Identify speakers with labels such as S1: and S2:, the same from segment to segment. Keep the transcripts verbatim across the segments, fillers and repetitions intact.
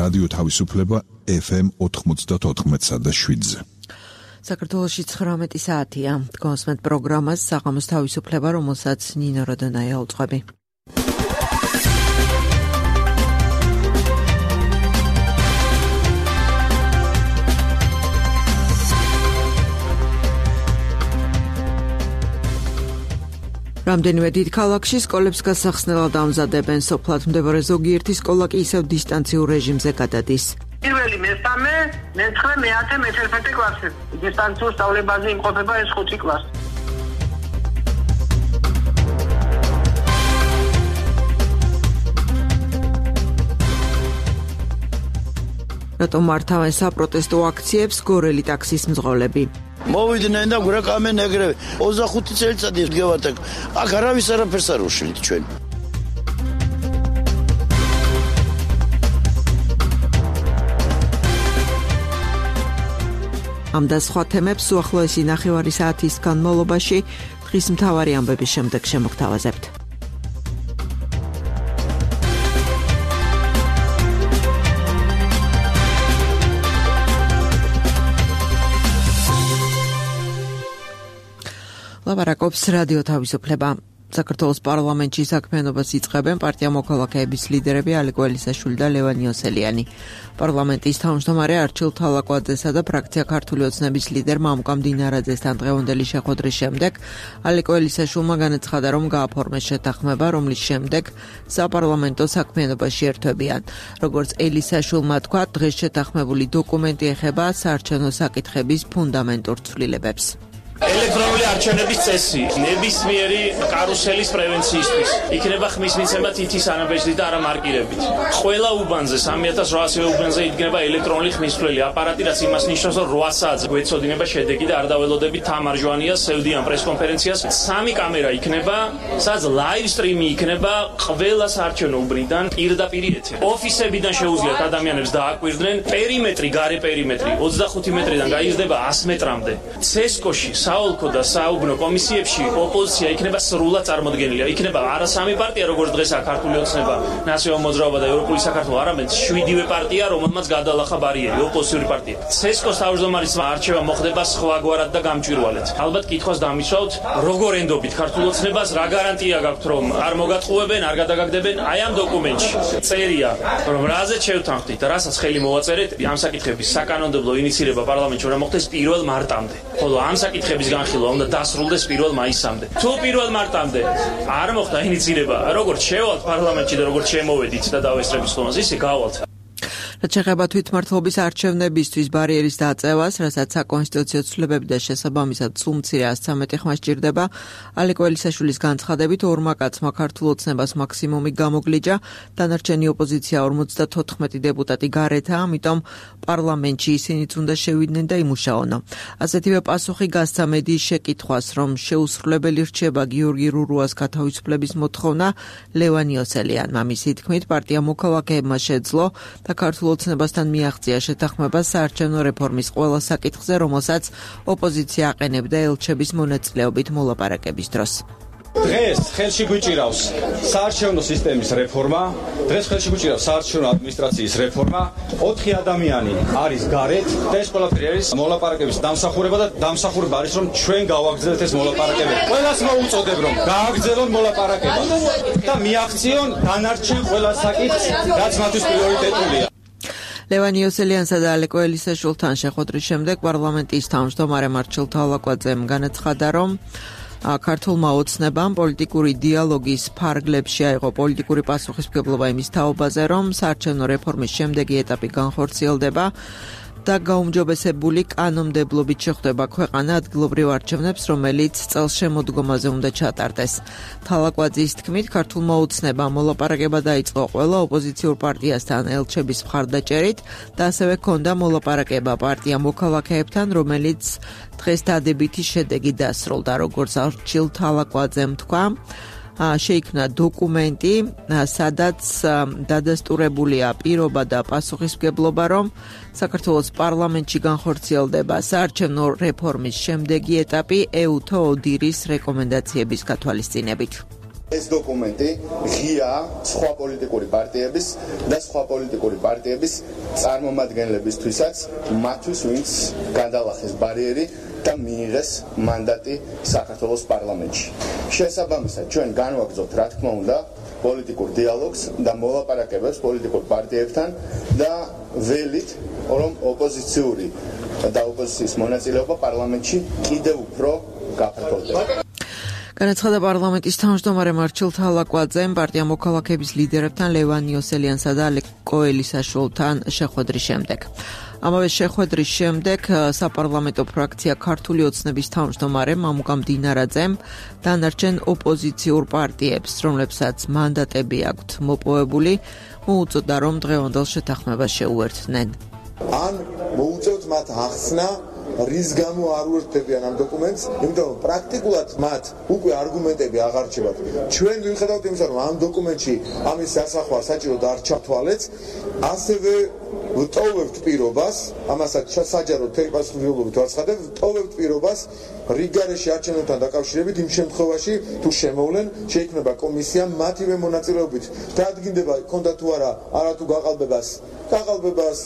S1: რადიო თავისუფლება ეფ ემ ოთხმოცდაოთხ და შვიდზე.
S2: საქართველოში ცხრამეტი საათია. გონსმენთ პროგრამას საღამოს თავისუფლება, რომელსაც ნინო როდონაია უძღვები. რამდენიმე დიდ ქალაქში სკოლებს გასახსნელად ამზადებენ. სოფლად მდებარე ზოგიერთი სკოლა კი ისევ დისტანციურ რეჟიმზე გადადის.
S3: პირველი მესამე, მეცხრე, მეათე, მეთერთმეტე კლასი. დისტანციურ სწავლებაზე იმყოფება ეს ხუთი კლასი.
S2: რატომ მართავენ საპროტესტო აქციებს გორელი ტაქსის მძღოლები?
S4: მოვიდნენ და გვერდკამენ ეგრევე. ოცდახუთი წელიწადი ვდგევართ აქ. აქ არავის არაფერს არ უშლით ჩვენ.
S2: ამ და სხვა თემებს უახლოესი ნახევარი საათის განმავლობაში დღის მთავარი ამბების შემდეგ შემოგთავაზებთ. ლაპარაკობს რადიო თავისუფლება. საქართველოს პარლამენტში საქმიანობას იწყებენ პარტია მოქალაქეების ლიდერები ალეკო ელისაშვილი და ლევან იოსელიანი. პარლამენტის თავმჯდომარე არჩილ თალაკვაძესა და ფრაქცია ქართული ოცნების ლიდერ მამუკა მდინარაძესთან დღევანდელი შეხვედრის შემდეგ ალეკო ელისაშვილმა განაცხადა, რომ გააფორმეს შეთანხმება, რომლის შემდეგ საპარლამენტო საქმიანობაში ერთვებიან. როგორც ელისაშვილმა თქვა, დღეს შეთანხმებული დოკუმენტი ეხება საარჩევნო საკითხების ფუნდამენტურ ცვლილებებს.
S5: ელექტრონული არჩევნების წესი ნებისმიერი კარუსელის პრევენციისთვის იქნება ხმის მიცემა თითის ანაბეჭდით და არა მარკირებით. ყველა უბანზე სამი ათას რვაასივე უბანზე იდგება ელექტრონული ხმისმცვლელი აპარატი, რაც იმას ნიშნავს, რომ რვა საათზე გვეცოდინება შედეგი და არ დაველოდებით თამარჯვანიას, სევდიან პრესკონფერენციას. სამი კამერა იქნება, სადაც ლაივ სტრიმი იქნება ყველა საარჩევნო უბნიდან პირდაპირ ეთერი. ოფისებიდან შეუძლიათ ადამიანებს დააკვირდნენ. პერიმეტრი, გარე პერიმეტრი ოცდახუთი მეტრიდან გაიზრდება ას მეტრამდე. ცესკოში საოლქო და საუბნო კომისიებში ოპოზიცია იქნება სრულად წარმოდგენილი. იქნება არა სამი პარტია, როგორც დღესაა ქართული ოცნება, ნაციონალურ მოძრაობა და ევროპული საქართველო, არამედ შვიდივე პარტია, რომელმაც გადალახა ბარიერი, ოპოზიციური პარტია. ცესკოს თავმჯდომარის არჩევა მოხდება სხვაგვარად და გამჭვირვალედ. ალბათ კითხვას დამისვავთ, როგორ ენდობით ქართულ ოცნებას, რა გარანტია გაქვთ, რომ არ მოგატყუებენ, არ გადაგაგდებენ? აი ამ დოკუმენტში წერია, რომ რაზეც შევთანხმდით და რასაც ხელი მოვაწერეთ, ამ საკითხების საკანონმდებლო ინიცირება პარლამენტში უნდა მოხდეს პირველ მარტამდე. ხოლო ამ საკითხების განხილვა უნდა დასრულდეს პირველ მაისამდე. თუ პირველ მარტამდე არ მოხდა ინიცირება, როგორც შევალთ პარლამენტში და როგორც შემოვედით და დავესწრებით ხომას, ისე გავალთ.
S2: რაც შეეხება თვითმმართველობის არჩევნებისთვის ბარიერის დაწევას, რასაც საკონსტიტუციო ცვლილებები და შესაბამისად სულ მცირე ას ცხრამეტი ხმა სჭირდება, ალეკო ელისაშვილის განცხადებით ორმა კაცმა ქართულ ოცნებას მაქსიმუმი გამოგლიჯა, დანარჩენი ოპოზიცია ორმოცდათოთხმეტი დეპუტატი გარეთაა, ამიტომ პარლამენტში ისინიც უნდა შევიდნენ და იმუშაონო. ასეთივე პასუხი გასცა მედიის შეკითხვას, რომ შეუსრულებელი რჩება გიორგი რურუას გათავისუფლების მოთხოვნა ლევან იოსელიანმა. მისი თქმით, პარტია მოქალაქეებმა შეძლო და ქართულ ოცნებასთან მიაღწია შეთანხმება საარჩევნო რეფორმის ყველა საკითხზე, რომელსაც ოპოზიცია აყენებდა ელჩების მონაწილეობით მოლაპარაკების დროს.
S6: დღეს ხელში გვიჭირავს საარჩევნო სისტემის რეფორმა, დღეს ხელში გვიჭირავს საარჩევნო ადმინისტრაციის რეფორმა. ოთხი ადამიანი არის გარეთ და ეს ყველაფერი არის მოლაპარაკების დამსახურება და დამსახურება არის, რომ ჩვენ გავაგრძელოთ ეს მოლაპარაკებები. ყველას მოუწოდებ, რომ გააგრძელონ მოლაპარაკება და მიაღწიონ დანარჩენ ყველა საკითხს, რაც მათთვის პრიორიტეტულია.
S2: ლევან იოსელიანსა და ალეკო ელისაშვილთან შეხვედრის შემდეგ პარლამენტის თავმჯდომარე არჩილ თალაკვაძემ განაცხადა, რომ ქართულმა ოცნებამ პოლიტიკური დიალოგის ფარგლებში აიღო პოლიტიკური პასუხისმგებლობა იმის თაობაზე, რომ საარჩევნო რეფორმის შემდეგი ეტაპი განხორციელდება და გაუმჯობესებული კანონმდებლობით შეხვდება ქვეყანა ადგილობრივ არჩევნებს, რომელიც წელს შემოდგომაზე უნდა ჩატარდეს. თალაკვაძის თქმით, ქართულმა ოცნებამ მოლაპარაკება დაიწყო ყველა ოპოზიციურ პარტიასთან ელჩების მხარდაჭერით და ასევე ჰქონდა მოლაპარაკება პარტია მოქალაქეებთან, რომელიც დღეს დადებითი შედეგი დასრულდა. როგორც არჩილ თალაკვაძემ თქვა, შეიქმნა დოკუმენტი, სადაც დადასტურებულია პირობა და პასუხისმგებლობა, რომ საქართველოს პარლამენტში განხორციელდება საარჩევნო რეფორმის შემდეგი ეტაპი ეუთო ოდირის რეკომენდაციების გათვალისწინებით.
S7: ეს დოკუმენტი ღია სხვა პოლიტიკური პარტიების და სხვა პოლიტიკური პარტიების წარმომადგენლებისთვისაც, მათთვის, ვინც გადალახეს ბარიერი და მიიღეს მანდატი საქართველოს პარლამენტში. შესაბამისად, ჩვენ განვაგრძობთ, რა თქმა უნდა, პოლიტიკურ დიალოგს და მოლაპარაკებებს პოლიტიკურ პარტიებთან და ველით, რომ ოპოზიციური და ოპოზიციის მონაწილეობა პარლამენტში კიდევ უფრო გაფართოვდება.
S2: განაცხადა პარლამენტის თავმჯდომარე მარჩილ თალაკვაძემ პარტია მოქალაქეების ლიდერებთან ლევან იოსელიანსა და ალეკო ელისაშვილთან შეხვედრის შემდეგ. ამავე შეხვედრის შემდეგ საპარლამენტო ფრაქცია ქართული ოცნების თავმჯდომარემ მამუკამ დინარაძემ დანარჩენ ოპოზიციურ პარტიებს, რომლებსაც მანდატები აქვთ მოპოვებული, მოუწოდა, რომ დღევანდელ შეთანხმებას შეუერთდნენ.
S8: ან მოუწევთ მათ ახსნა რის გამო არ უერთდებიან ამ დოკუმენტს, იმიტომ რომ პრაქტიკულად მათ უკვე არგუმენტები აღარ რჩებათ. ჩვენ ვიხედავთ იმისა, რომ ამ დოკუმენტში ამის დასახვა საჭიროდ არ ჩათვალეთ, ასევე ვტოვებთ პირობას, ამასაც საჯარო თერი პასუხისმგებლობით ვაცხადებ, ვტოვებთ პირობას რიგგარეშე არჩევნებთან დაკავშირებით იმ შემთხვევაში, თუ შემოვლენ, შეიქმნება კომისია მათივე მონაწილეობით. დაადგინდება ქონდა თუ არა არათუ გაყალბებას, გაყალბებას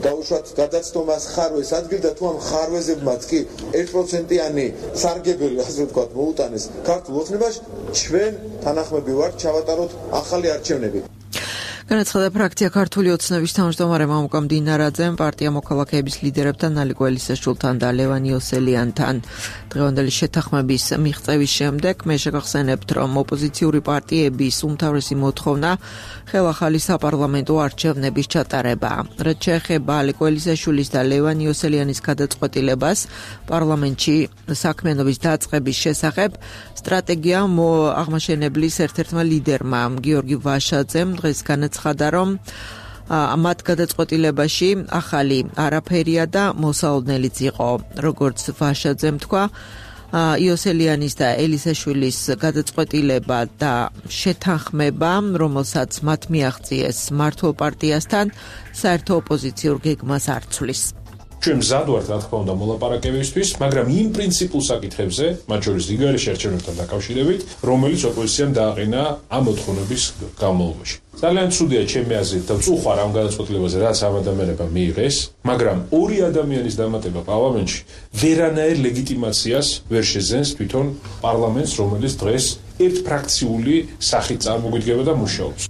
S8: დაუშვათ გადაცდომას ხარვეს ადგილდა თუ ამ ხარვეზებმაც კი ერთ პროცენტიანი სარგებელი, ასე ვთქვათ, მოუტანეს ქართულ ოცნებაში, ჩვენ თანახმები ვართ ჩავატაროთ ახალი არჩევნები.
S2: განაცხადა ფრაქცია ქართული ოცნების თავმჯდომარე მამუკამ დინარაძემ პარტია მოქალაქეების ლიდერებთან ალეკო ელისაშვილთან და ლევან იოსელიანთან დღევანდელი შეთანხმების მიღწევის შემდეგ მე შეგახსენებთ, რომ ოპოზიციური პარტიების უმთავრესი მოთხოვნა ხელახალი საპარლამენტო არჩევნების ჩატარება. რაც შეეხება ალეკო ელისაშვილის და ლევან იოსელიანის გადაწყვეტილებას პარლამენტში საქმიანობის დაწყების შესახებ, სტრატეგია აღმაშენებლის ერთ-ერთმა ლიდერმა გიორგი ვაშაძემ დღეს განაცხადა, რომ მათ გადაწყვეტილებაში ახალი არაფერია და მოსალოდნელიც იყო. როგორც ვაშაძემ თქვა, იოსელიანის და ელისაშვილის გადაწყვეტილება და შეთანხმება, რომელსაც მათ მიაღწიეს მართლ პარტიასთან, საერთო ოპოზიციურ გეგმას არ ცვლის.
S9: ჩვენ მზად ვართ, რა თქმა უნდა, მოლაპარაკებისთვის, მაგრამ იმ პრინციპულ საკითხებზე, მათ შორის რიგგარეშე არჩევნებთან დაკავშირებით, რომელიც ოპოზიციამ დააყენა ამ მოთხოვნების განმავლობაში. ძალიან ცუდია ჩემი აზრით და ვწუხარ ამ გადაწყვეტილებაზე, რაც ამ ადამიანებმა მიიღეს, მაგრამ ორი ადამიანის დამატება პარლამენტში ვერანაირ ლეგიტიმაციას ვერ შეძენს თვითონ პარლამენტს, რომელიც დღეს ერთფრაქციული სახით წარმოგვიდგება და მუშაობს.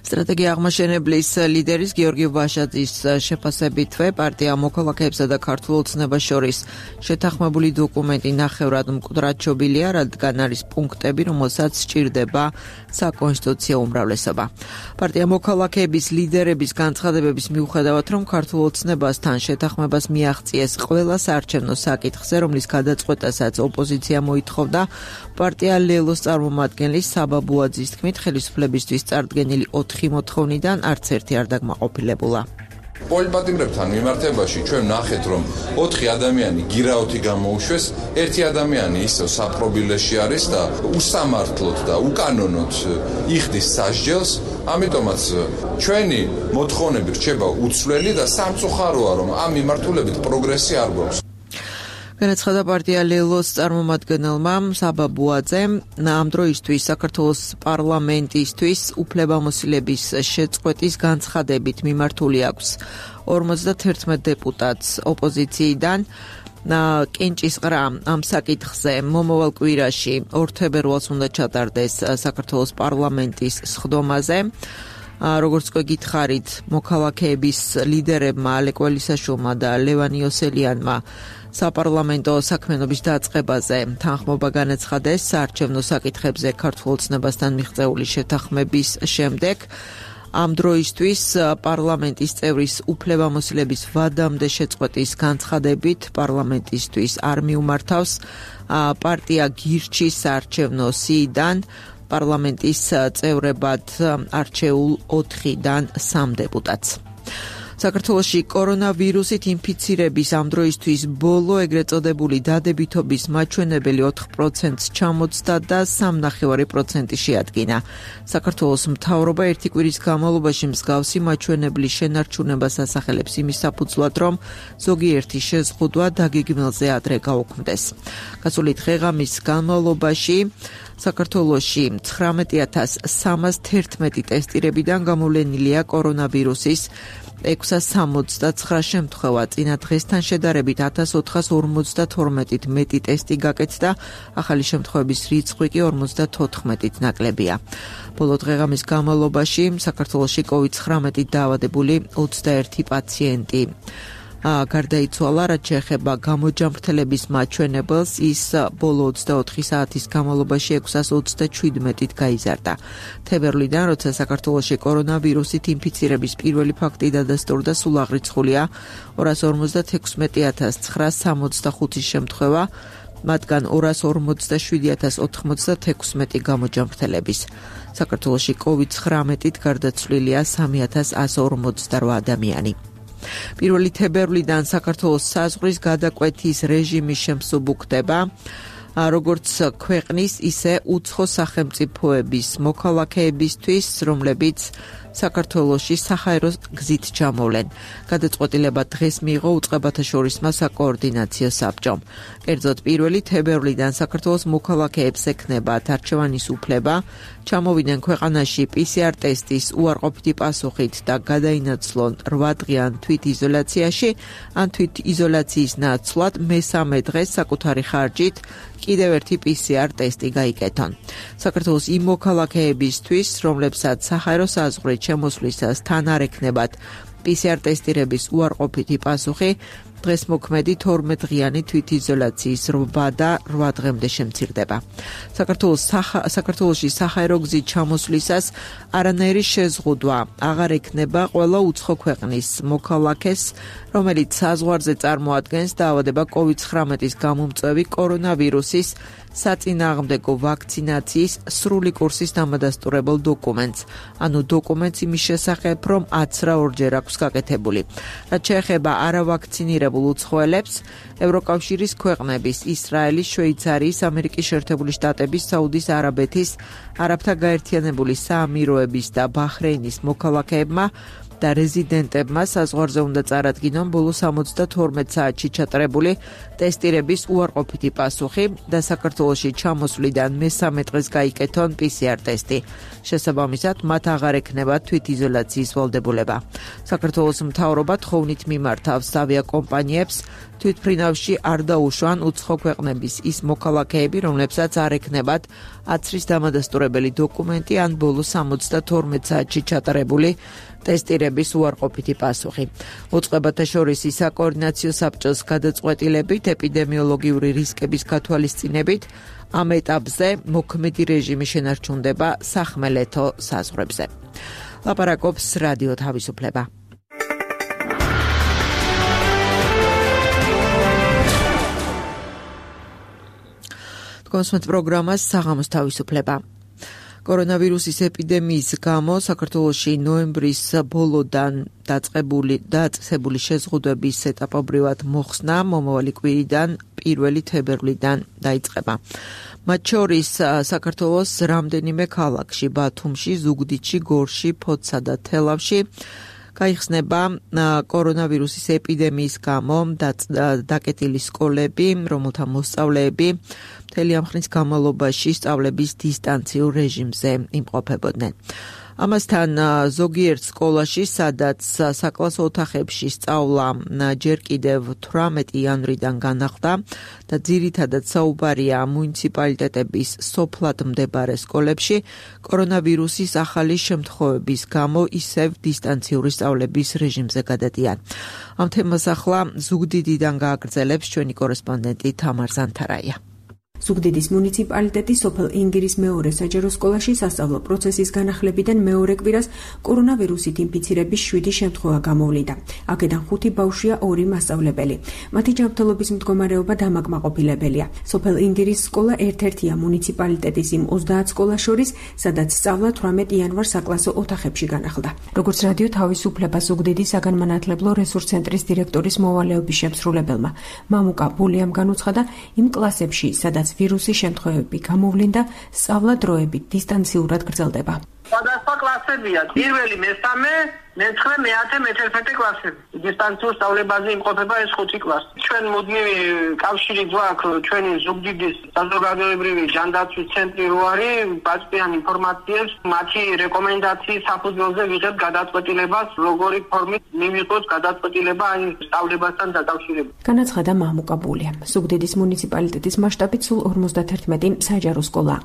S2: სტრატეგია აღმაშენებლის ლიდერის გიორგი ვაშაძის შეფასებითვე პარტია მოქალაქეებსა და ქართულ ოცნებას შორის შეთანხმებული დოკუმენტი ნახევრად მკვდრად შობილია, რადგან არის პუნქტები, რომელსაც სჭირდება საკონსტიტუციო უმრავლესობა. პარტია მოქალაქეების ლიდერების განცხადებების მიუხედავად, რომ ქართულ ოცნებასთან შეთანხმებას მიაღწიეს ყველა საარჩევნო საკითხზე, რომლის გადაწყვეტასაც ოპოზიცია მოითხოვდა, პარტია ლელოს წარმომადგენლის საბა ბუაძის თქმით, ხელისუფლებისთვის წარდგენილი ოთხი მოთხოვნიდან არც ერთი არ დაკმაყოფილებულა.
S10: პოლიტპატიმრებთან მიმართებაში ჩვენ ნახეთ, რომ ოთხი ადამიანი გირაოთი გამოუშვეს, ერთი ადამიანი ისევ საპრობილეში არის და უსამართლოდ და უკანონოდ იხდის სასჯელს, ამიტომაც ჩვენი მოთხოვნები რჩება უცვლელი და სამწუხაროა, რომ ამ მიმართულებით პროგრესი არ გვაქვს.
S2: განაცხადა პარტია ლელოს წარმომადგენელმა საბა ბუაძემ, ამ დროისთვის საქართველოს პარლამენტისთვის უფლებამოსილების შეწყვეტის განცხადებით მიმართული აქვს ორმოცდაათი დეპუტატს ოპოზიციიდან. კენჭისყრა ამ საკითხზე მომავალ კვირაში ორ თებერვალს უნდა ჩატარდეს საქართველოს პარლამენტის სხდომაზე. როგორც გითხარით, მოქალაქეების ლიდერებმა ალეკო ელისაშვილმა და ლევან იოსელიანმა საპარლამენტო საქმიანობის დაწყებაზე თანხმობა განაცხადეს საარჩევნო საკითხებზე ქართულ ოცნებასთან მიღწეული შეთანხმების შემდეგ. ამ დროისთვის პარლამენტის წევრის უფლებამოსილების ვადამდე შეწყვეტის განცხადებით პარლამენტისთვის არ მიუმართავს პარტია გირჩის საარჩევნო სიიდან პარლამენტის წევრებად არჩეულ ოთხიდან სამ დეპუტატს. საქართველოში კორონავირუსით ინფიცირების ამ დროისთვის ბოლო ეგრეთ წოდებული დადებითობის მაჩვენებელი ოთხ პროცენტს ჩამოწდა და სამი ნახევარი პროცენტი შეადგინა. საქართველოს მთავრობა ერთი კვირის განმავლობაში მსგავსი მაჩვენებლის შენარჩუნებას ასახელებს იმის საფუძვლად, რომ ზოგიერთი შეზღუდვა დაგეგმილზე ადრე გაუქმდეს. გასული დღე-ღამის განმავლობაში საქართველოში ცხრამეტი ათას სამას თერთმეტი ტესტირებიდან გამოვლენილია კორონავირუსის ექვსას სამოცდაცხრა შემთხვევა. წინა დღესთან შედარებით ათას ოთხას ორმოცდათორმეტით მეტი ტესტი გაკეთდა, ახალი შემთხვევების რიცხვი კი ორმოცდათოთხმეტით ნაკლებია. ბოლო დღეღამის განმავლობაში საქართველოში კოვიდ ცხრამეტით დაავადებული ოცდაერთი პაციენტი გარდაიცვალა, რაც შეეხება გამოჯამრთელების მაჩვენებელს, ის ბოლო ოცდაოთხი საათის განმავლობაში ექვსას ოცდაჩვიდმეტით გაიზარდა. თებერვლიდან, როცა საქართველოში კორონავირუსით ინფიცირების პირველი ფაქტი დადასტურდა, სულ აღრიცხულია ორას ორმოცდათექვსმეტი ათას ცხრაას სამოცდახუთი შემთხვევა, მათგან ორას ორმოცდაშვიდი ათას ოთხმოცდათექვსმეტი გამოჯამრთელების. საქართველოში კოვიდ ცხრამეტით გარდაცვლილია სამი ათას ასი ორმოცდარვა ადამიანი. პირველი თებერვლიდან საქართველოს საზღვრის გადაკვეთის რეჟიმი შემსუბუქდება, როგორც ქვეყნის, ისე უცხო სახელმწიფოების მოქალაქეებისთვის, რომლებიც საქართველოში საჰაერო გზით ჩამოვლენ. გადაწყვეტილება დღეს მიიღო უწყებათა შორისმა საკოორდინაციო საბჭომ. კერძოდ პირველი თებერვლიდან საქართველოს მოქალაქეებს ექნებათ არჩევანის უფლება, ჩამოვიდნენ ქვეყანაში პი სი არ ტესტის უარყოფითი პასუხით და გადაინაცვლონ რვადღიან თვითიზოლაციაში, ან თვითიზოლაციის ნაცვლად მესამე დღეს საკუთარი ხარჯით კიდევ ერთი პი სი არ ტესტი გაიკეთონ. საქართველოს იმ მოქალაქეებისთვის, რომლებსაც საჰაერო საზღვრით შემოსვლისას თან არ ექნებათ პი სი არ ტესტირების უარყოფითი პასუხი, დღეს მოქმედი თორმეტდღიანი თვითიზოლაციის რვა და რვა დღემდე შემცირდება. საქართველოს საქართველოში საჰაერო გზით ჩამოსვლისას არანაირი შეზღუდვა აღარ ექნება ყველა უცხო ქვეყნის მოქალაქეს, რომელიც საზღვარზე წარმოადგენს დაავადება კოვიდ ცხრამეტის გამომწვევი კორონავირუსის საწინააღმდეგო ვაქცინაციის სრული კურსის დამადასტურებელ დოკუმენტს, ანუ დოკუმენტს იმის შესახებ, რომ აცრა ორჯერ აქვს გაკეთებული. რაც შეეხება არავაქცინირებულ უცხოელებს, ევროკავშირის ქვეყნების, ისრაელის, შვეიცარიის, ამერიკის შეერთებული შტატების, საუდის არაბეთის, არაბთა გაერთიანებული საამიროების და ბაჰრეინის მოქალაქეებმა და რეზიდენტებმა საზღვარზე უნდა წარადგინონ ბოლო სამოცდათორმეტ საათში ჩატარებული ტესტირების უარყოფითი პასუხი და საქართველოში ჩამოსვლიდან მესამე დღეს გაიკეთონ პი სი არ ტესტი. შესაბამისად, მათ აღარ ექნებათ თვითიზოლაციის ვალდებულება. საქართველოს მთავრობა თხოვნით მიმართავს ავიაკომპანიებს თვითმფრინავში არ დაუშვან უცხო ქვეყნების ის მოქალაქეები, რომლებსაც არ ექნებათ აცრის დამადასტურებელი დოკუმენტი ან ბოლო სამოცდათორმეტ საათში ჩატარებული ტესტირების უარყოფითი პასუხი. უწყებათა შორის საკოორდინაციო საბჭოს გადაწყვეტილებით ეპიდემიოლოგიური რისკების გათვალისწინებით ამ ეტაპზე მოქმედი რეჟიმი შენარჩუნდება სახმელეთო საზღვრებზე. ლაპარაკობს რადიო თავისუფლება. კონსუმენტ პროგრამას საღამოს თავისუფლება. კორონავირუსის ეპიდემიის გამო საქართველოში ნოემბრის ბოლოდან დაწყებული დაწესებული შეზღუდვების ეტაპობრივად მოხსნა მომავალი კვირიდან პირველი თებერვლიდან დაიწყება. მათ შორის საქართველოს რამდენიმე ქალაქში, ბათუმში, ზუგდიდში, გორში, ფოთსა და თელავში გაიხსნება კორონავირუსის ეპიდემიის გამო დაკეტილი სკოლები, რომელთა მოსწავლეები მთელი ამ ხნის განმავლობაში სწავლების დისტანციურ რეჟიმზე იმყოფებოდნენ. ამასთან ზოგიერთ სკოლაში, სადაც საკლასო ოთახებში სწავლა ჯერ კიდევ თვრამეტი იანვრიდან განახლდა და ძირითადად საუბარია მუნიციპალიტეტების სოფლად მდებარე სკოლებში, კორონავირუსის ახალი შემთხვევების გამო ისევ დისტანციური სწავლების რეჟიმზე გადადიან. ამ თემას ახლა ზუგდიდიდან გააგრძელებს ჩვენი კორესპონდენტი თამარ ზანთარაია.
S11: ზუგდიდის მუნიციპალიტეტის სოფელ ინგირის მეორე საჯარო სკოლაში სასწავლო პროცესის განახლებიდან მეორე კვირას კორონავირუსით ინფიცირების შვიდი შემთხვევა გამოვლინდა. აქედან ხუთი ბავშვია, ორი მასწავლებელი. მათი ჯანმრთელობის მდგომარეობა დამაკმაყოფილებელია. სოფელ ინგირის სკოლა ერთ-ერთია მუნიციპალიტეტის იმ ოცდაათ სკოლას შორის, სადაც სწავლა თვრამეტ იანვარს საკლასო ოთახებში განახლდა. როგორც რადიო თავისუფლება ზუგდიდის საგანმანათლებლო რესურს ცენტრის დირექტორის მოვალეობის შემსრულებელმა მამუკა ბულიამ განუცხადა, იმ კლასებში, სადაც ვირუსის შემთხვევები გამოვლინდა, სწავლა დროებით დისტანციურად გრძელდება.
S3: სხვადასხვა კლასებია. პირველი, მესამე, მეცხრე, მეათე, მეთერთმეტე კლასები. დისტანციურ სწავლებაზე იმყოფება ეს ხუთი კლასი. ჩვენ მუდმივი კავშირი გვაქვს ჩვენი ზუგდიდის საზოგადოებრივი ჯანდაცვის ცენტრი რო არის, ბაზისიან ინფორმაციებს, მათი რეკომენდაციის საფუძველზე ვიღებ გადაწყვეტილებას, როგორი ფორმით მივიღოს გადაწყვეტილება აი სწავლებასთან დაკავშირებით.
S11: განაცხადა მამუკაბულია. ზუგდიდის მუნიციპალიტეტის მასშტაბით სულ ორმოცდათერთმეტი საჯარო სკოლა.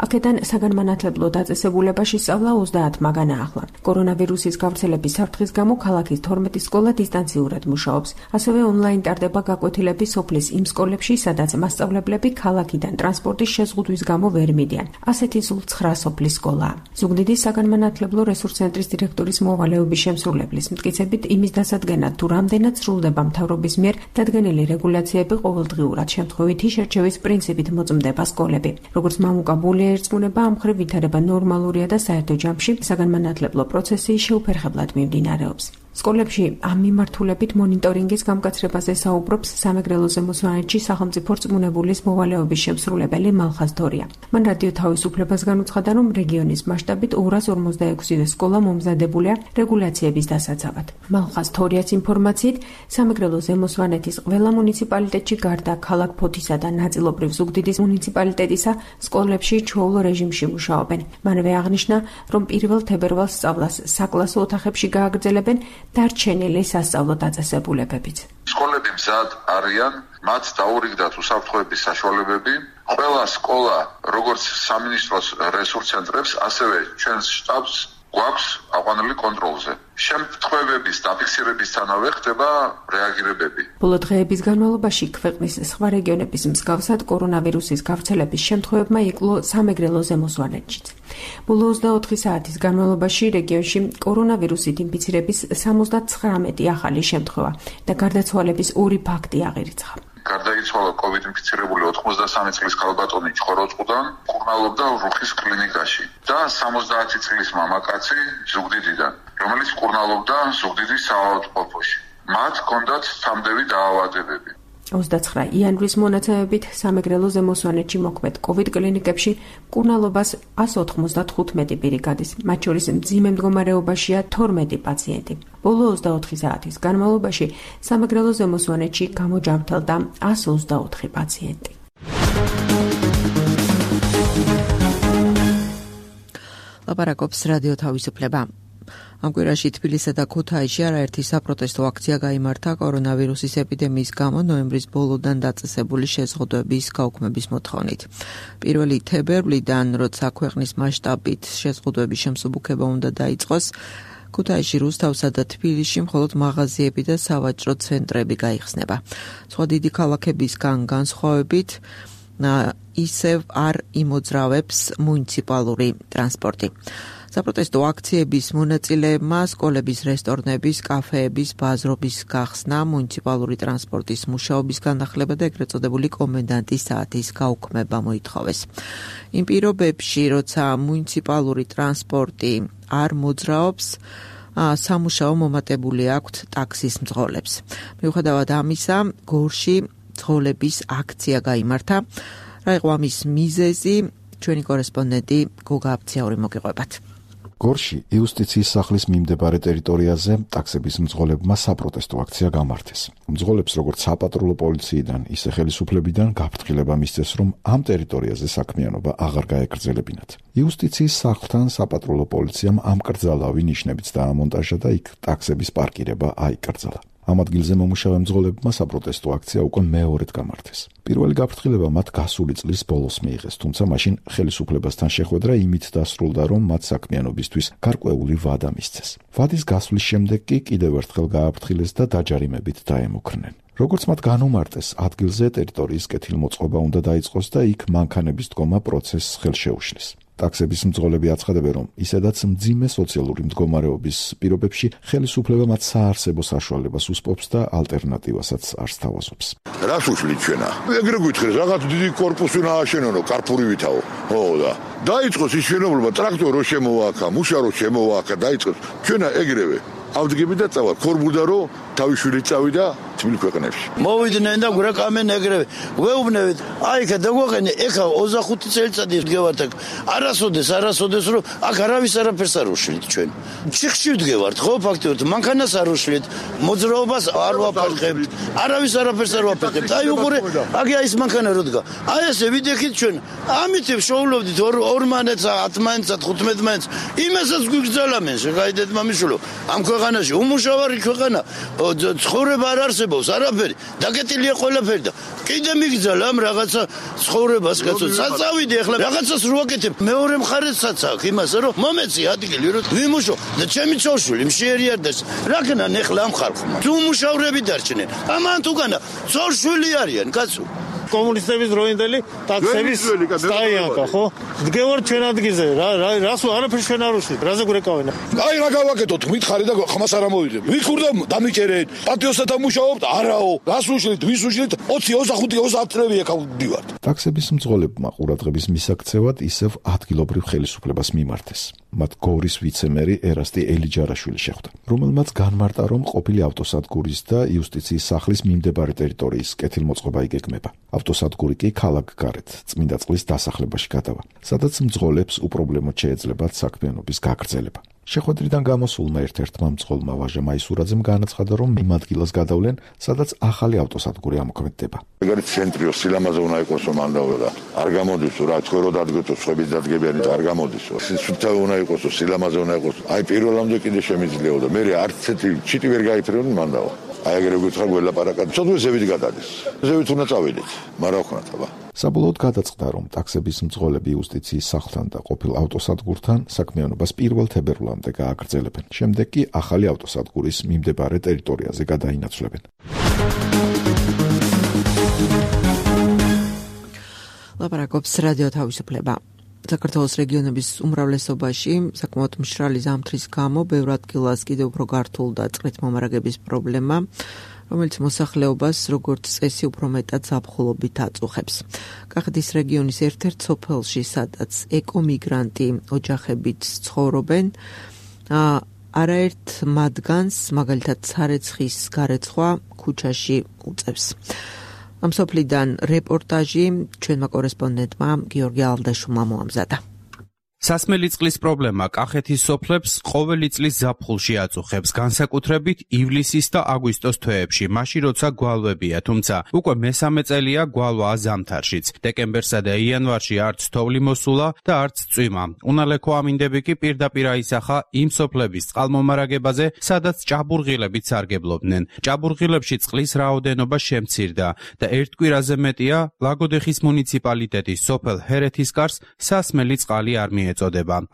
S11: აქედან საგანმანათლებლო დაწესებულებაში სწავლა ოცდაათ მაგანა ახლა. კორონავირუსის გავრცელების საფრთხის გამო ქალაქის თორმეტი სკოლა დისტანციურად მუშაობს. ასევე ონლაინ ტარდება გაკვეთილები სოფლის იმ სკოლებში, სადაც მასწავლებლები ქალაქიდან ტრანსპორტის შეზღუდვის გამო ვერ მიდიან. ასეთი სულ ცხრა სოფლის სკოლაა. ზუგდიდის საგანმანათლებლო რესურს ცენტრის დირექტორის მოვალეობის შემსრულებლის მტკიცებით იმის დასადგენად თუ რამდენად სრულდება მთავრობის მიერ დადგენილი რეგულაციები ყოველდღიურად შემთხვევითი შერჩევის პრინციპით მოწმდება სკოლები. როგორც მამუკაბულია ერწყმუნება, ამ მხრივ ვითარება ნორმალურია და საერთო ჯამში საგანმანათლებლო პროცესი შეუფერხებლად მიმდინარეობს. სკოლებში ამ მიმართულებით მონიტორინგის გამკაცრებაზე საუბრობს სამეგრელოზე მოსვანეთში სახელმწიფო რწმუნებულის მოვალეობის შემსრულებელი მალხაზ თორია. მან რადიო თავისუფლებას განუცხადა, რომ რეგიონის მასშტაბით ორას ორმოცდაექვსი სკოლა მომზადებულია რეგულაციების დასაცავად. მალხაზ თორიას ინფორმაციით, სამეგრელოზე მოსვანეთის ყველა მუნიციპალიტეტში გარდა ქალაქ ფოთისა და ნაწილობრივ ზუგდიდის მუნიციპალიტეტისა სკოლებში ჩვეულ რეჟიმში მუშაობენ. მანვე აღნიშნა, რომ პირველ თებერვალს სწავლას საკლასო ოთახებში გააგრძელებენ დარჩენილი სასწავლო დაწესებულებებით.
S12: სკოლები მზად არიან, მათ დაურიგდათ უსაფრთხოების საშუალებები. ყველა სკოლა, როგორც სამინისტროს რესურს ცენტრებს, ასევე ჩვენს შტაბს გვაქვს აყვანილი კონტროლზე. შემთხვევების დაფიქსირებისთანავე ხდება რეაგირებები.
S11: ბოლო დღეების განმავლობაში ქვეყნის სხვა რეგიონების მსგავსად კორონავირუსის გავრცელების შემთხვევებმა იკლო სამეგრელოზე მოსვანეთშიც. ბოლო ოცდაოთხი საათის განმავლობაში რეგიონში კორონავირუსით ინფიცირების სამოცდათხრამეტი ახალი შემთხვევა და გარდაცვალების ორი ფაქტი აღირიცხა.
S12: გარდაიცვალა კოვიდ ინფიცირებული ოთხმოცდასამი წლის ქალბატონი ჩხოროწყუდან, მკურნალობდა რუხის კლინიკაში და სამოცდაათი წლის მამაკაცი ზუგდიდიდან, რომელიც მკურნალობდა ზუგდიდის საავადმყოფოში. მათ ჰქონდათ სამდევი დაავადებები.
S11: ოცდაცხრა იანვრის მონაცემებით სამეგრელოზე მოსვანეთში მოქმედ კოვიდ კლინიკებში მკურნალობას ას ოთხმოცდათხუთმეტი პირი გადის, მათ შორის მძიმე მდგომარეობაშია თორმეტი პაციენტი. ბოლო ოცდაოთხი საათის განმავლობაში სამეგრელოზე მოსვანეთში გამოჯამრთელდა ას ოცდაოთხი პაციენტი.
S2: ლაპარაკობს რადიო თავისუფლება. ამ კვირაში თბილისსა და ქუთაისში არაერთი საპროტესტო აქცია გაიმართა კორონავირუსის ეპიდემიის გამო ნოემბრის ბოლოდან დაწესებული შეზღუდვების გაუქმების მოთხოვნით. პირველი თებერვლიდან, როცა ქვეყნის მასშტაბით შეზღუდვების შემსუბუქება უნდა დაიწყოს, ქუთაისში, რუსთავსა და თბილისში მხოლოდ მაღაზიები და სავაჭრო ცენტრები გაიხსნება. სხვა დიდი ქალაქებისგან განსხვავებით ისევ არ იმოძრავებს მუნიციპალური ტრანსპორტი. საპროტესტო აქციების მონაწილეებმა სკოლების, რესტორნების, კაფეების, ბაზრობის გახსნა, მუნიციპალური ტრანსპორტის მუშაობის განახლება და ეგრეთ წოდებული კომენდანტის საათის გაუქმება მოითხოვეს. იმ პირობებში, როცა მუნიციპალური ტრანსპორტი არ მოძრაობს, სამუშაო მომატებული აქვთ ტაქსის მძღოლებს. მიუხედავად ამისა, გორში მძღოლების აქცია გაიმართა. რა იყო ამის მიზეზი? ჩვენი კორესპონდენტი გოგა აბცაური მოგიყვებათ.
S1: გორში იუსტიციის სახლის მიმდებარე ტერიტორიაზე ტაქსების მძღოლებმა საპროტესტო აქცია გამართეს. მძღოლებს როგორც საპატრულო პოლიციიდან, ისე ხელისუფლებიდან გაფრთხილება მისცეს, რომ ამ ტერიტორიაზე საქმიანობა აღარ გაეგრძელებინათ. იუსტიციის სახლთან საპატრულო პოლიციამ ამკრძალავი ნიშნებიც დაამონტაჟა და იქ ტაქსების პარკირება აიკრძალა. ამ ადგილზე მომუშავე მძღოლებმა საპროტესტო აქცია უკვე მეორედ გამართეს. პირველი გაფრთხილება მათ გასული წლის ბოლოს მიიღეს, თუმცა მაშინ ხელისუფლებასთან შეხვედრა იმით დასრულდა, რომ მათ საქმიანობისთვის გარკვეული ვადა მისცეს. ვადის გასვლის შემდეგ კი კიდევ ერთხელ გააფრთხილეს და დაჯარიმებით დაემუქრნენ. როგორც მათ განუმარტეს, ადგილზე ტერიტორიის კეთილმოწყობა უნდა დაიწყოს და იქ მანქანების დგომა პროცესს ხელშეუშლის. ტაქსების მძღოლები აცხადებენ, რომ ისედაც მძიმე სოციალური მდგომარეობის პირობებში ხელისუფლება მათ საარსებო საშუალებას უსპობს და ალტერნატივასაც არ სთავაზობს.
S13: რას უშლით ჩვენა? ეგრე გითხრეს, რაღაც დიდი კორპუსი უნდა ააშენო, კარპურივითაო. ხო და დაიწყოს ის შენობლობა, ტრაქტორი რო შემოვააქა, მუშა რო შემოვააქა, დაიწყოს. ჩვენა ეგრევე ავდგები და წავალ. ხორბუდა რო თავი შვილი წავიდა, თბილ ქვეყნებში.
S4: მოვიდნენ და გვეკამენ ეგრევე. გვეუბნებით, აი ხა დაგვაყენე, ეხა ოცდახუთი წელიწადი ვდგევართ აქ. არასოდეს, არასოდეს რომ აქ არავის არაფერს არ უშლით ჩვენ. ჩიხში ვდგევართ, ხო, ფაქტობრივად, მანქანას არ უშლით, მოძრაობას არ ვაფარხებთ, არავის არაფერს არ ვაფერხებთ. აი უყურე, აგი აი ეს მანქანა რო დგა. აი ესე ვიდექით ჩვენ. ამით შოულობდით ორ მანეთს, ათ მანეთს, ხუთ მანეთს. იმასაც გვიგზავნენ, შეგაიდეთ მამიშვილო. ამ ქვეყანაში უმუშავარი ქვეყანა, ცხოვრება არ არსებობს, არაფერი. დაგეტილია ყველაფერი და კიდე მიგზავნ ამ რაღაცა ცხოვრებას, კაცო. საწავიდი ახლა რაღაცას რო აკეთებ. მეორე მხარესაც აქვს იმას, რომ მომეცი ადგილი, რომ ვიმუშო და ჩემი ცოლშვილი მშიერიარდეს. რაკნან ახლა ამ ხალხმა. თუ მუშავრები დარჩნენ. ამან თუგანა ცოლშვილი არიან, კაცო.
S14: კომუნისტების დროინდელი ტაქსების სტაიანკა, ხო? დგევარ ჩვენ ადგილზე, რა რას არაფერს ჩვენ არ უშლით, რაზე გვეკავენ?
S13: აი რა გავაკეთოთ, მითხარი და ხმას არ ამოვიდებ. ვიქურდა დამიჭერეთ, პატიოსთან მუშაობთ, არაო, რას უშლით, ვის უშლით? ოცი, ოცდახუთი, ოცდაათ წლები აქ ვდივართ.
S1: ტაქსების მძღოლებმა ყურადღების მისაქცევად ისევ ადგილობრივ ხელისუფლებას მიმართეს. მათ გორის ვიცემერი ერასტი ელიჯარაშვილი შეხვდა, რომელმაც განმარტა, რომ ყოფილი ავტოსადგურის და იუსტიციის სახლის მიმდებარე ტერიტორიის კეთილმოწყობა იგეგმება. ავტოსადგური კი ქალაქგარეთ წმინდა წყლის დასახლებაში გადავა, სადაც მძღოლებს უპრობლემოდ შეეძლებათ საქმიანობის გაგრძელება. შეხვედრიდან გამოსულმა ერთ-ერთმა მძღოლმა ვაჟა მაისურაძემ განაცხადა, რომ იმ ადგილას გადავლენ, სადაც ახალი ავტოსადგური ამოქმედდება.
S13: ეგრეთ ცენტრიო სილამაზე უნდა იყოს რომ ანდაო და არ გამოდისო რა ცხოვრო დადგეთო სხვების დადგებიანი და არ გამოდისო. სიცოცხლე უნდა იყოს, სილამაზე უნდა იყოს. აი პირველამდე კიდე შემიძლიაო და მე არც ცეთი ჩიტი ვერ გაიფრინონ მანდაო. აი ეგრე გითხრა გველაპარაკად. ცოტა ზევით გადადის. ზევით უნდა წავიდეთ. მაგრამ ხნათ აბა.
S1: საბოლოოდ გადაწყდა, რომ ტაქსების მძღოლები იუსტიციის სახლთან და ყოფილ ავტოსადგურთან საქმიანობას პირველ თებერვლამდე გააგრძელებენ. შემდეგ კი ახალი ავტოსადგურის მიმდებარე ტერიტორიაზე გადაინაცვლებენ.
S2: ლაპარაკობს რადიო თავისუფლება. საქართველოს რეგიონების უმრავლესობაში საკმაოდ მშრალი ზამთრის გამო ბევრ ადგილას კიდევ უფრო გართულდა წყლით მომარაგების პრობლემა, რომელიც მოსახლეობას როგორც წესი უფრო მეტად ზაფხულობით აწუხებს. კახეთის რეგიონის ერთ-ერთ სოფელში, სადაც ეკომიგრანტი ოჯახებით ცხოვრობენ, არაერთ მათგანს, მაგალითად სარეცხის გარეცხვა ქუჩაში უწევს. ამ სოფლიდან რეპორტაჟი ჩვენმა კორესპონდენტმა გიორგი ალდაშვილმა მოამზადა.
S15: სასმელი წყლის პრობლემა კახეთის სოფლებს ყოველი წლის ზაფხულში აწუხებს, განსაკუთრებით ივლისის და აგვისტოს თვეებში, მაშინ როცა გვალვებია, თუმცა უკვე მესამე წელია გვალვაა ზამთარშიც. დეკემბერსა და იანვარში არც თოვლი მოსულა და არც წვიმა. უნალექო ამინდები კი პირდაპირ აისახა იმ სოფლების წყალმომარაგებაზე, სადაც ჭაბურღილებიც სარგებლობდნენ. ჭაბურღილებში წყლის რაოდენობა შემცირდა და ერთ კვირაზე მეტია ლაგოდეხის მუნიციპალიტეტის სოფელ ჰერეთისკარს სასმელი წყალი არ მიეწოდება.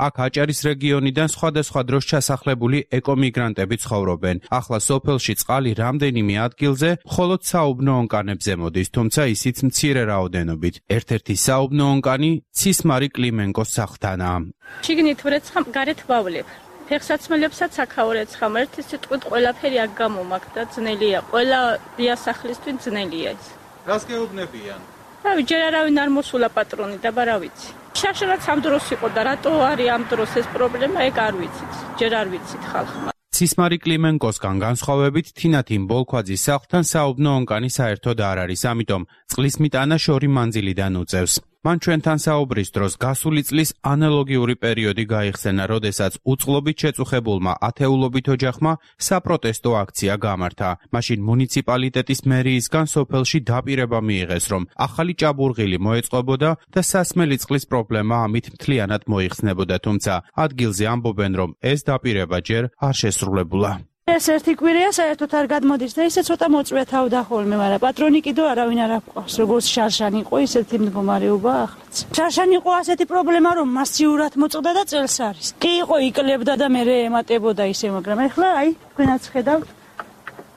S15: აქ აჭარის რეგიონიდან სხვადასხვა დროს ჩასახლებული ეკომიგრანტები ცხოვრობენ. ახლა სოფელში წყალი რამდენიმე ადგილზე მხოლოდ საუბნო ონკანებზე მოდის, თუმცა ისიც მცირე რაოდენობით. ერთ-ერთი საუბნო ონკანი ცისმარი კლიმენკოს სახლთანაა.
S16: შიგნით ვრეცხამ, გარეთ ვავლებ. ფეხსაცმელებსაც აქაურეცხამ, ერთი სიტყვით ყველაფერი აქ გამომაქვს და ძნელია. ყველა დიასახლისთვის ძნელია ეს.
S15: რას გეუბნებიან?
S16: რავი, ჯერ არავინ არ მოსულა პატრონი და რა ვიცი. შაშანაც ამ დროს იყო და რატო არის ამ დროს ეს პრობლემა, ეგ არ ვიცით. ჯერ არ ვიცით ხალხმა.
S15: ცისმარი კლიმენკოსგან განსხვავებით, თინათინ ბოლქვაძის სახლთან საუბნო ონკანი საერთოდ არ არის, ამიტომ წყლის მიტანა შორი მანძილიდან უწევს. მან ჩვენთან საუბრის დროს გასული წლის ანალოგიური პერიოდი გაიხსენა, როდესაც უწყლობით შეწუხებულმა ათეულობით ოჯახმა საპროტესტო აქცია გამართა. მაშინ მუნიციპალიტეტის მერიისგან სოფელში დაპირება მიიღეს, რომ ახალი ჭაბურღილი მოეწყობოდა და სასმელი წყლის პრობლემა ამით მთლიანად მოიხსნებოდა, თუმცა ადგილზე ამბობენ, რომ ეს დაპირება ჯერ არ შესრულებულა.
S17: ეს ერთი კვირია საერთოდ არ გადმოდის და ისე ცოტა მოწვეთავდა ხოლმე, მაგრამ პატრონი კიდევ არავინ არ აქვს. როგორც შარშანი იყო, ისეთი მდგომარეობა ახლაც. შარშანი იყო ასეთი პრობლემა, რომ მასიურად მოწყდა და წელს არის. კი იყო იკლებდა და მე ემატებოდა ისე, მაგრამ ახლა აი, თქვენაც ხედავთ,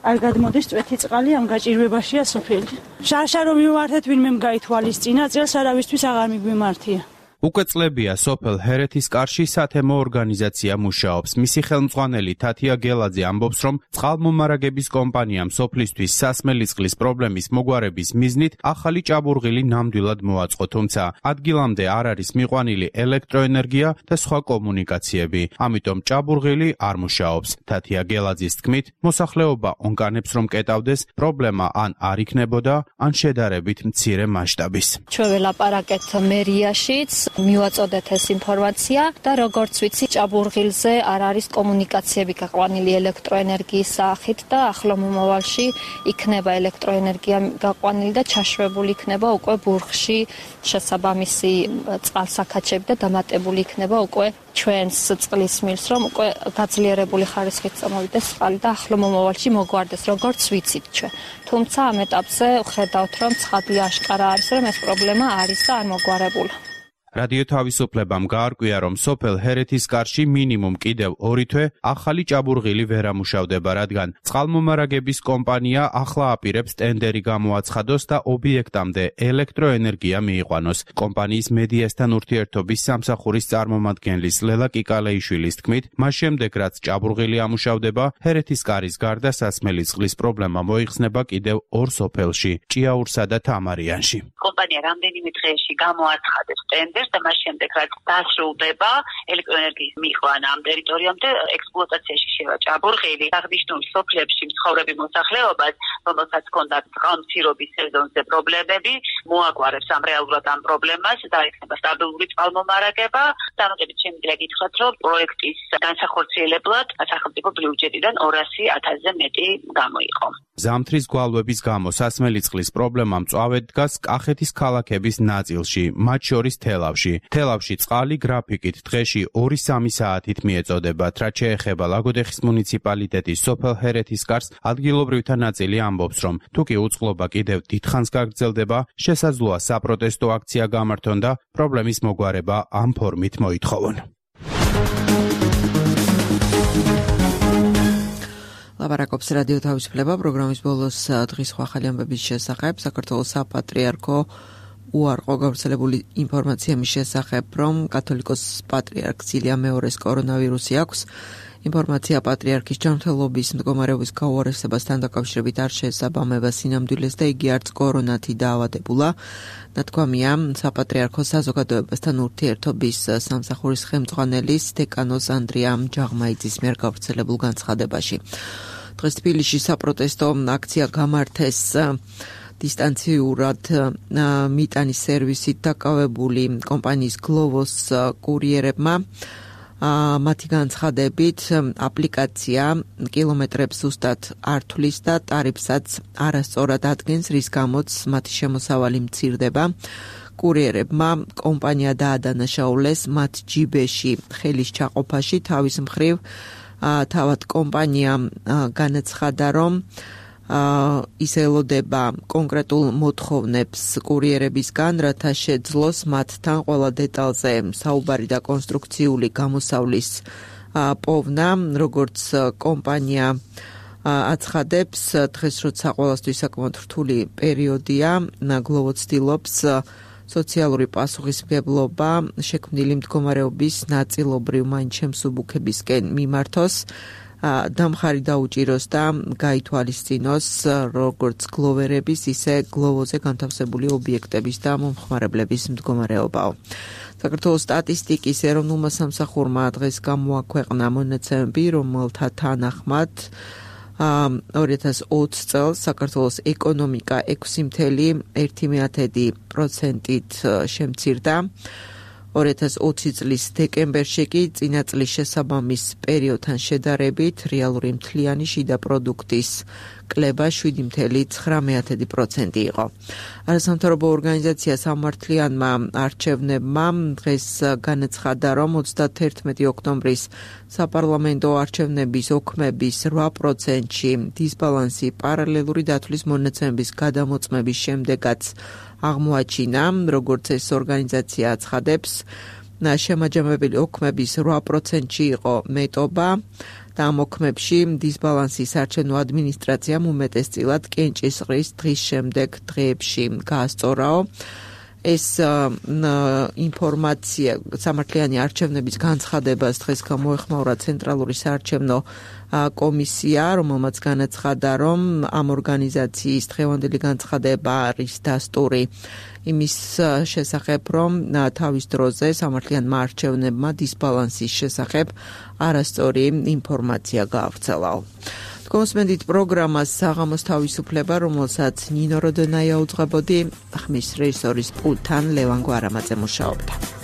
S17: არ გადმოდის წვეთი წყალი, ამ გაჭირვებაშია სოფელი. შარშა რომ მიმართეთ, ვინმე გაითვალისწინა, წელს არავისთვის აღარ მიგვიმართია.
S15: უკვე წლებია სოფელ ჰერეთისკარში სათემო ორგანიზაცია მუშაობს. მისი ხელმძღვანელი თათია გელაძე ამბობს, რომ წყალმომარაგების კომპანიამ სოფლისთვის სასმელი წყლის პრობლემის მოგვარების მიზნით ახალი ჭაბურღილი ნამდვილად მოაწყო, თუმცა ადგილამდე არ არის მიყვანილი ელექტროენერგია და სხვა კომუნიკაციები. ამიტომ ჭაბურღილი არ მუშაობს. თათია გელაძის თქმით, მოსახლეობა ონკანებს რომ კეტავდეს, პრობლემა ან არ იქნებოდა, ან შედარებით მცირე მასშტაბის.
S18: ჩვენ ველაპარაკეთ მერიაშიც, მივაწოდეთ ეს ინფორმაცია და როგორც ვიცი, ჭაბურღილზე არ არის კომუნიკაციები გაყვანილი ელექტროენერგიის სახით და ახლო მომავალში იქნება ელექტროენერგია გაყვანილი და ჩაშვებული იქნება უკვე ბურღში შესაბამისი წყალსაქაჩები და დამატებული იქნება უკვე ჩვენს წყლის მილს, რომ უკვე გაძლიერებული ხარისხით წამოვიდეს წყალი და ახლო მომავალში მოგვარდეს, როგორც ვიცით ჩვენ. თუმცა ამ ეტაპზე ხედავთ, რომ ცხადია აშკარა არის, რომ ეს პრობლემა არის და არ მოგვარებულა.
S15: რადიო თავისუფლებამ გაარკვია, რომ სოფელ ჰერეთისკარში მინიმუმ კიდევ ორი თვე ახალი ჭაბურღილი ვერ ამუშავდება, რადგან წყალმომარაგების კომპანია ახლა აპირებს ტენდერი გამოაცხადოს და ობიექტამდე ელექტროენერგია მიიყვანოს. კომპანიის მედიასთან ურთიერთობის სამსახურის წარმომადგენლის ლელა კიკალეიშვილის თქმით, მას შემდეგ რაც ჭაბურღილი ამუშავდება, ჰერეთისკარის გარდა სასმელი წყლის პრობლემა მოიხსნება კიდევ ორ სოფელში, ჭიაურსა და თამარიანში.
S19: კომპანია რამდენიმე დღეში გამოაცხადებს ტენდერს და მას შემდეგ რაც დასრულდება ელექტროენერგიის მიყვანა ამ ტერიტორიამდე ექსპლუატაციაში შევა ჭაბურღილი აღნიშნულ სოფლებში მცხოვრები მოსახლეობას, რომელსაც ჰქონდა წყალმცირობის სეზონზე პრობლემები, მოაგვარებს ამ რეალურად ამ პრობლემას და იქნება სტაბილური წყალმომარაგება. დამატებით შემიძლია გითხრათ, რომ პროექტის განსახორციელებლად სახელმწიფო ბიუჯეტიდან ორასი ათასზე მეტი გამოიყო.
S15: ზამთრის გვალვების გამო სასმელი წყლის პრობლემა მწვავედ დგას კახეთის ქალაქების ნაწილში, მათ შორის თელავში. თელავში წყალი გრაფიკით დღეში ორი სამი საათით მიეწოდებათ, რაც შეეხება ლაგოდეხის მუნიციპალიტეტის სოფელ ჰერეთისკარს, ადგილობრივთა ნაწილი ამბობს, რომ თუ კი უწყლობა კიდევ დიდხანს გაგრძელდება, შესაძლოა საპროტესტო აქცია გამართონ და პრობლემის მოგვარება ამ ფორმით მოითხოვონ.
S2: ლაპარაკობს რადიო თავისუფლება პროგრამის ბოლოს დღის ახალი ამბების შესახებ. საქართველოს საპატრიარქო უარყო გავრცელებული ინფორმაცია მის შესახებ, რომ კათოლიკოს პატრიარქ სილია მეორეს კორონავირუსი აქვს. ინფორმაცია პატრიარქის ჯანმრთელობის მდგომარეობის გაუარესებასთან დაკავშირებით არ შეესაბამება სინამდვილეს და იგი არც კორონათი დაავადებულა. ნათქვამია საპატრიარქოს საზოგადოებასთან ურთიერთობის სამსახურის ხელმძღვანელის დეკანოს ანდრია ჯაღმაიძის მიერ გავრცელებულ განცხადებაში. დღეს თბილისში საპროტესტო აქცია გამართეს დისტანციურად მიტანის სერვისით დაკავებული კომპანიის გლოვოს კურიერებმა. მათი განცხადებით აპლიკაცია კილომეტრებს ზუსტად არ თვლის და ტარიფსაც არასწორად ადგენს, რის გამოც მათი შემოსავალი მცირდება. კურიერებმა კომპანია დაადანაშაულეს მათ ჯიბეში ხელის ჩაყოფაში. თავის მხრივ თავად კომპანია განაცხადა, რომ ის ელოდება კონკრეტულ მოთხოვნებს კურიერებისგან, რათა შეძლოს მათთან ყველა დეტალზე საუბარი და კონსტრუქციული გამოსავლის პოვნა, როგორც კომპანია აცხადებს, დღეს როცა ყველასთვის საკმაოდ რთული პერიოდია, გლოვო ცდილობს სოციალური პასუხისმგებლობა შექმნილი მდგომარეობის ნაწილობრივ მაინც შემსუბუქებისკენ მიმართოს. დამხარი დაუჭიროს და გაითვალისწინოს როგორც გლოვერების, ისე გლოვოზე განთავსებული ობიექტების და მომხმარებლების მდგომარეობაო. საქართველოს სტატისტიკის ეროვნულმა სამსახურმა დღეს გამოაქვეყნა მონაცემები, რომელთა თანახმად ორი ათას ოცი წელს საქართველოს ეკონომიკა ექვსი კoma ერთი პროცენტით შემცირდა. ორი ათას ოცი წლის დეკემბერში კი წინა წლის შესაბამის პერიოდთან შედარებით რეალური მთლიანი შიდა პროდუქტის კლება შვიდი კoma ცხრამეტი პროცენტი იყო. არასამთავრობო ორგანიზაცია სამართლიანმა არჩევნებმა დღეს განაცხადა, რომ ოცდაათერთმეტი ოქტომბრის საპარლამენტო არჩევნების ოქმების რვა პროცენტში დისბალანსი პარალელური დათვლის მონაცემების გადამოწმების შემდეგაც აღმოაჩინა, როგორც ეს ორგანიზაცია აცხადებს, შემაჯამებელი ოქმების რვა პროცენტში იყო მეტობა და ამ ოქმებში დისბალანსის არჩევნო ადმინისტრაციამ უმეტესწილად კენჭისყრის დღის შემდეგ დღეებში გაასწორაო. ეს ინფორმაცია სამართლიანი არჩევნების განცხადებას დღეს გამოეხმაურა ცენტრალური საარჩევნო კომისია, რომელმაც განაცხადა, რომ ამ ორგანიზაციის დღევანდელი განცხადება არის დასტური იმის შესახებ, რომ თავის დროზე სამართლიანმა არჩევნებმა დისბალანსის შესახებ არასწორი ინფორმაცია გაავრცელა. კონსმენდით პროგრამას საღამოს თავისუფლება, რომელსაც ნინო როდონაია უძღვებოდი, ხმის რეჟისორის პულტთან ლევან გვარამაძე მუშაობდა.